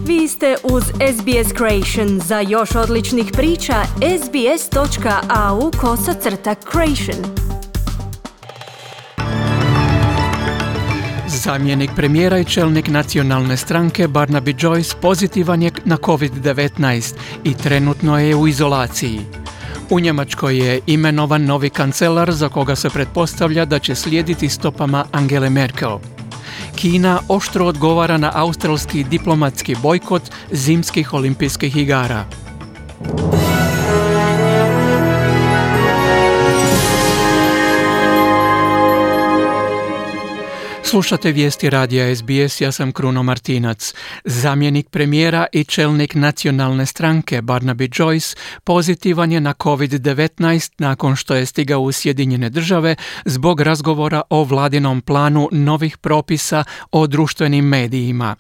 Vi ste uz SBS Creation. Za još odličnih priča, sbs.au/creation. Zamjenik premijera i čelnik nacionalne stranke Barnaby Joyce pozitivan je na COVID-19 i trenutno je u izolaciji. U Njemačkoj je imenovan novi kancelar za koga se pretpostavlja da će slijediti stopama Angele Merkel. Kina oštro odgovara na australski diplomatski bojkot zimskih olimpijskih igara. Slušate vijesti radija SBS, ja sam Kruno Martinac. Zamjenik premijera i čelnik nacionalne stranke Barnaby Joyce pozitivan je na COVID-19 nakon što je stigao u Sjedinjene Države zbog razgovora o vladinom planu novih propisa o društvenim medijima.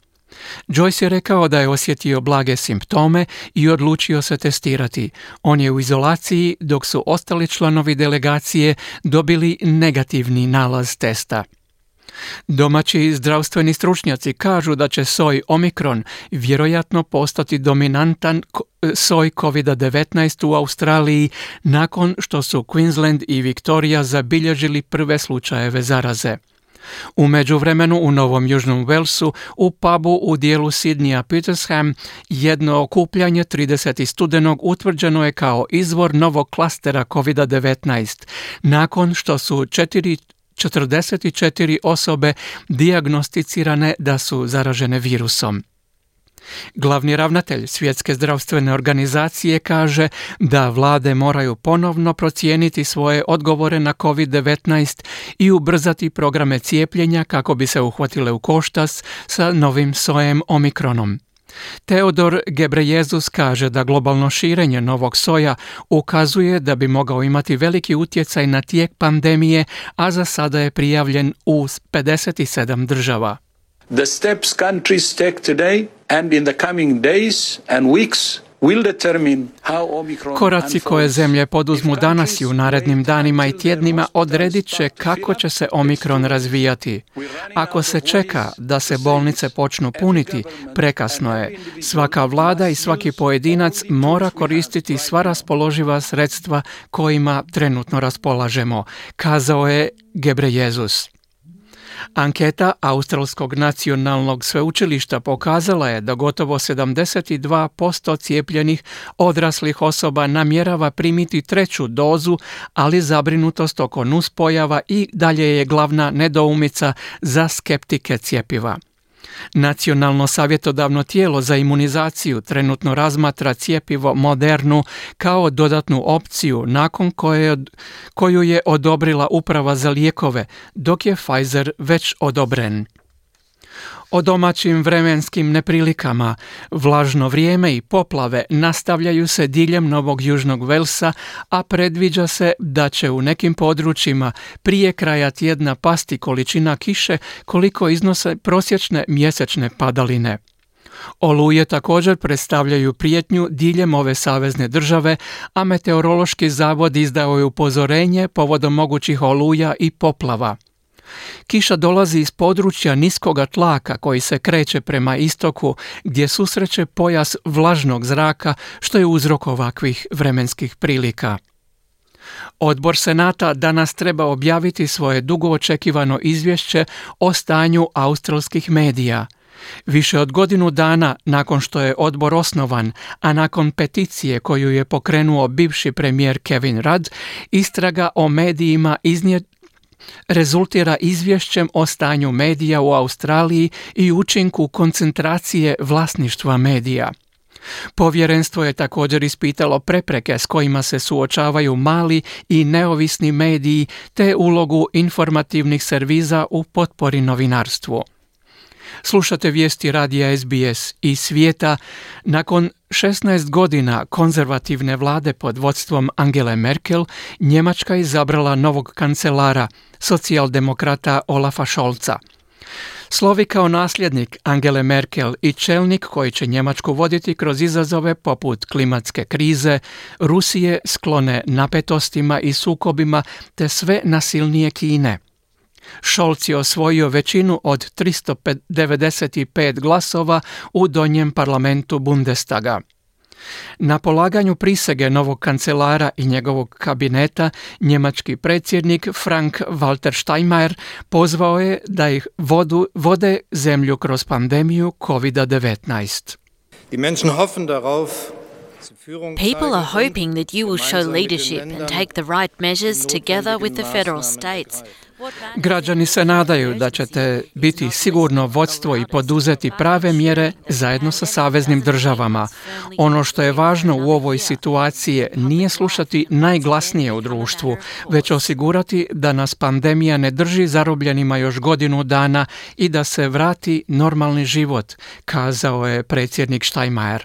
Joyce je rekao da je osjetio blage simptome i odlučio se testirati. On je u izolaciji dok su ostali članovi delegacije dobili negativni nalaz testa. Domaći zdravstveni stručnjaci kažu da će soj Omikron vjerojatno postati dominantan soj COVID-19 u Australiji nakon što su Queensland i Victoria zabilježili prve slučajeve zaraze. U međuvremenu u Novom Južnom Walesu u pubu u dijelu Sydneya Petersham jedno okupljanje 30. studenog utvrđeno je kao izvor novog klastera COVID-19 nakon što su 44 osobe dijagnosticirane da su zaražene virusom. Glavni ravnatelj Svjetske zdravstvene organizacije kaže da vlade moraju ponovno procijeniti svoje odgovore na COVID-19 i ubrzati programe cijepljenja kako bi se uhvatile u koštac sa novim sojem Omikronom. Teodor Gebrejezus kaže da globalno širenje novog soja ukazuje da bi mogao imati veliki utjecaj na tijek pandemije, a za sada je prijavljen u 57 država. The steps countries take today and in the coming days and weeks will determine how Omicron. Koraci koje zemlje poduzmu danas i u narednim danima i tjednima odredit će kako će se Omikron razvijati. Ako se čeka da se bolnice počnu puniti, prekasno je. Svaka vlada i svaki pojedinac mora koristiti sva raspoloživa sredstva kojima trenutno raspolažemo, kazao je Gebrejezus. Anketa Australskog nacionalnog sveučilišta pokazala je da gotovo 72% cijepljenih odraslih osoba namjerava primiti treću dozu, ali zabrinutost oko nuspojava i dalje je glavna nedoumica za skeptike cjepiva. Nacionalno savjetodavno tijelo za imunizaciju trenutno razmatra cjepivo Modernu kao dodatnu opciju nakon koju je odobrila Uprava za lijekove, dok je Pfizer već odobren. O domaćim vremenskim neprilikama, vlažno vrijeme i poplave nastavljaju se diljem Novog Južnog Velsa, a predviđa se da će u nekim područjima prije kraja tjedna pasti količina kiše koliko iznose prosječne mjesečne padaline. Oluje također predstavljaju prijetnju diljem ove savezne države, a Meteorološki zavod izdao je upozorenje povodom mogućih oluja i poplava. Kiša dolazi iz područja niskoga tlaka koji se kreće prema istoku gdje susreće pojas vlažnog zraka što je uzrok ovakvih vremenskih prilika. Odbor Senata danas treba objaviti svoje dugo očekivano izvješće o stanju australskih medija. Više od godinu dana nakon što je odbor osnovan, a nakon peticije koju je pokrenuo bivši premijer Kevin Rudd, istraga o medijima rezultira izvješćem o stanju medija u Australiji i učinku koncentracije vlasništva medija. Povjerenstvo je također ispitalo prepreke s kojima se suočavaju mali i neovisni mediji te ulogu informativnih servisa u potpori novinarstvu. Slušate vijesti radija SBS iz svijeta. Nakon 16 godina konzervativne vlade pod vodstvom Angele Merkel, Njemačka je izabrala novog kancelara, socijaldemokrata Olafa Scholza. Slovi kao nasljednik Angele Merkel i čelnik koji će Njemačku voditi kroz izazove poput klimatske krize, Rusije sklone napetostima i sukobima te sve nasilnije Kine. Scholz je osvojio većinu od 395 glasova u donjem parlamentu Bundestaga. Na polaganju prisege novog kancelara i njegovog kabineta, njemački predsjednik Frank-Walter Steinmeier pozvao je da ih vode zemlju kroz pandemiju COVID-19. People are hoping that you will show leadership and take the right measures together with the federal states. Građani se nadaju da ćete biti sigurno vodstvo i poduzeti prave mjere zajedno sa saveznim državama. Ono što je važno u ovoj situaciji nije slušati najglasnije u društvu, već osigurati da nas pandemija ne drži zarobljenima još godinu dana i da se vrati normalni život, kazao je predsjednik Steinmeier.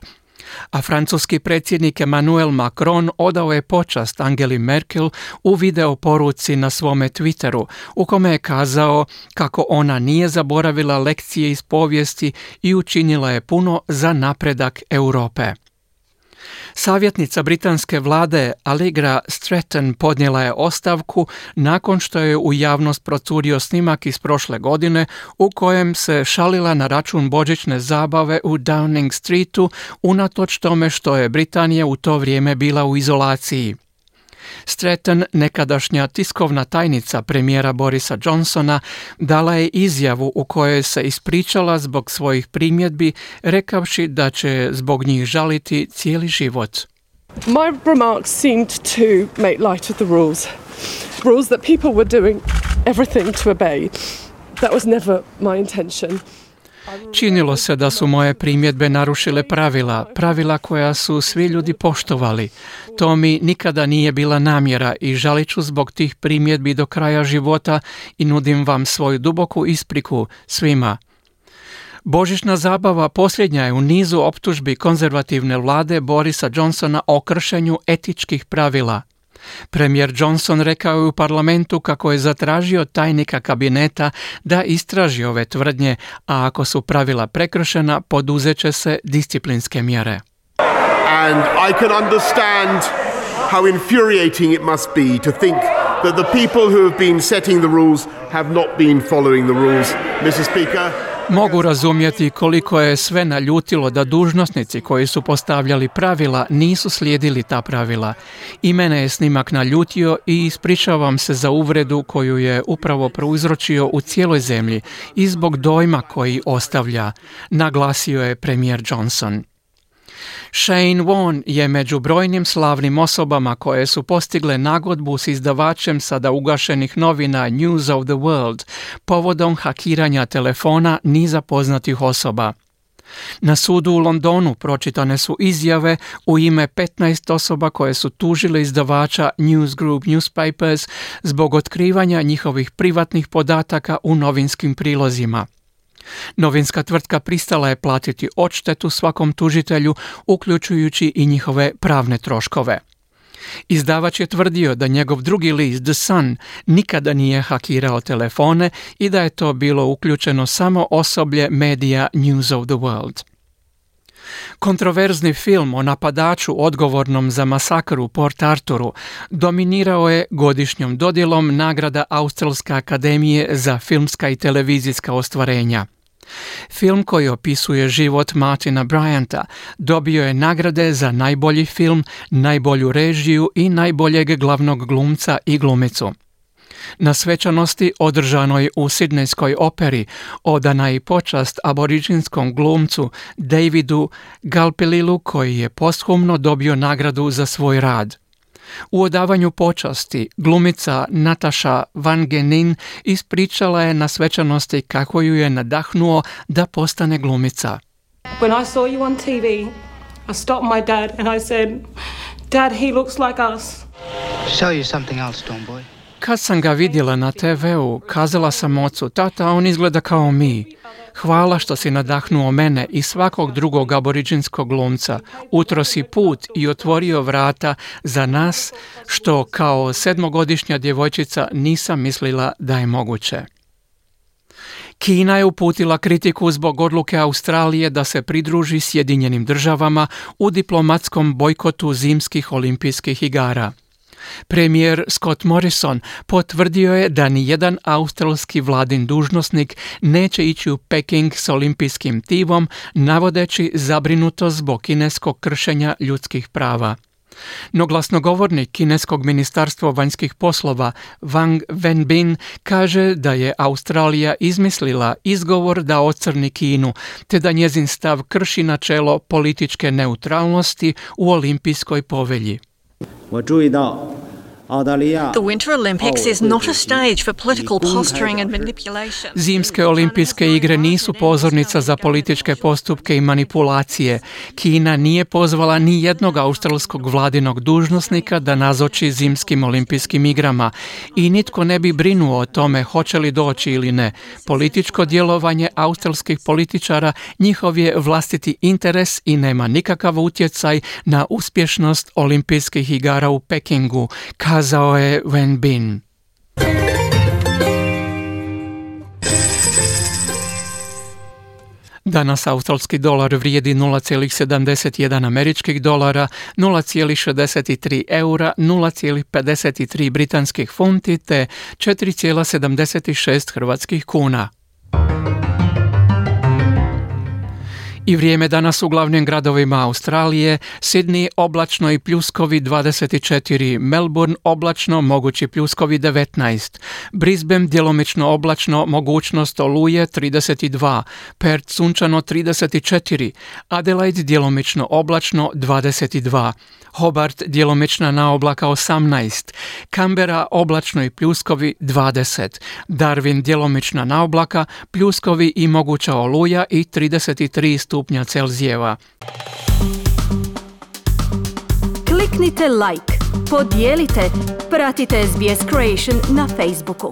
A francuski predsjednik Emmanuel Macron odao je počast Angeli Merkel u video poruci na svome Twitteru, u kome je kazao kako ona nije zaboravila lekcije iz povijesti i učinila je puno za napredak Europe. Savjetnica britanske vlade Allegra Stratton podnijela je ostavku nakon što je u javnost procurio snimak iz prošle godine u kojem se šalila na račun božićne zabave u Downing Streetu unatoč tome što je Britanija u to vrijeme bila u izolaciji. Stratton, nekadašnja tiskovna tajnica premijera Borisa Johnsona, dala je izjavu u kojoj se ispričala zbog svojih primjedbi, rekavši da će zbog njih žaliti cijeli život. My remarks seemed to make light of the rules that people were doing everything to obey. That was never my intention. Činilo se da su moje primjedbe narušile pravila koja su svi ljudi poštovali. To mi nikada nije bila namjera i žalit ću zbog tih primjedbi do kraja života i nudim vam svoju duboku ispriku svima. Božićna zabava posljednja je u nizu optužbi konzervativne vlade Borisa Johnsona o kršenju etičkih pravila. Premijer Johnson rekao je u parlamentu kako je zatražio tajnika kabineta da istraži ove tvrdnje, a ako su pravila prekršena, poduzet će se disciplinske mjere. And I can understand how infuriating it must be to think that the people who have been setting the rules have not been following the rules, Mr. Speaker. Mogu razumjeti koliko je sve naljutilo da dužnosnici koji su postavljali pravila nisu slijedili ta pravila. I mene je snimak naljutio i ispričavam se za uvredu koju je upravo prouzročio u cijeloj zemlji i zbog dojma koji ostavlja, naglasio je premijer Johnson. Shane Warne je među brojnim slavnim osobama koje su postigle nagodbu s izdavačem sada ugašenih novina News of the World povodom hakiranja telefona niza poznatih osoba. Na sudu u Londonu pročitane su izjave u ime 15 osoba koje su tužile izdavača News Group Newspapers zbog otkrivanja njihovih privatnih podataka u novinskim prilozima. Novinska tvrtka pristala je platiti odštetu svakom tužitelju, uključujući i njihove pravne troškove. Izdavač je tvrdio da njegov drugi list The Sun nikada nije hakirao telefone i da je to bilo uključeno samo osoblje medija News of the World. Kontroverzni film o napadaču odgovornom za masakr u Port Arthuru dominirao je godišnjom dodjelom nagrada Australske akademije za filmska i televizijska ostvarenja. Film koji opisuje život Martina Bryanta dobio je nagrade za najbolji film, najbolju režiju i najboljeg glavnog glumca i glumicu. Na svečanosti održanoj u Sidnejskoj operi odana je počast aboriđinskom glumcu Davidu Galpililu koji je posthumno dobio nagradu za svoj rad. U odavanju počasti glumica Natasha Van Genin ispričala je na svečanosti kako ju je nadahnuo da postane glumica. When I saw you on TV, I stopped my dad and I said, "Dad, he looks like us." Show you something else, Stormboy. Kad sam ga vidjela na TV-u, kazala sam ocu, tata, on izgleda kao mi. Hvala što si nadahnuo mene i svakog drugog aboriđinskog glumca. Utro si put i otvorio vrata za nas, što kao 7-godišnja djevojčica nisam mislila da je moguće. Kina je uputila kritiku zbog odluke Australije da se pridruži Sjedinjenim državama u diplomatskom bojkotu zimskih olimpijskih igara. Premijer Scott Morrison potvrdio je da nijedan australski vladin dužnosnik neće ići u Peking s olimpijskim timom, navodeći zabrinutost zbog kineskog kršenja ljudskih prava. No glasnogovornik kineskog ministarstva vanjskih poslova Wang Wenbin kaže da je Australija izmislila izgovor da ocrni Kinu, te da njezin stav krši načelo političke neutralnosti u olimpijskoj povelji. The Winter Olympics is not a stage for political posturing and manipulation. Zimske olimpijske igre nisu pozornica za političke postupke i manipulacije. Kina nije pozvala ni jednog australskog vladinog dužnosnika da nazoči zimskim olimpijskim igrama i nitko ne bi brinuo o tome hoće li doći ili ne. Političko djelovanje australskih političara njihov je vlastiti interes i nema nikakav utjecaj na uspješnost olimpijskih igara u Pekingu, kazao je Wenbin. Danas australski dolar vrijedi 0,71 američkih dolara, 0,63 eura, 0,53 britanskih funti te 4,76 hrvatskih kuna. I vrijeme danas u glavnim gradovima Australije: Sydney oblačno i pljuskovi 24, Melbourne oblačno, mogući pljuskovi 19, Brisbane djelomično oblačno, mogućnost oluje 32, Perth sunčano 34, Adelaide djelomično oblačno 22, Hobart djelomična naoblaka 18, Canberra oblačno i pljuskovi 20, Darwin djelomična naoblaka, pljuskovi i moguća oluja i 33 stupnja Celzijeva. Kliknite like, podijelite, pratite SBS Creation na Facebooku.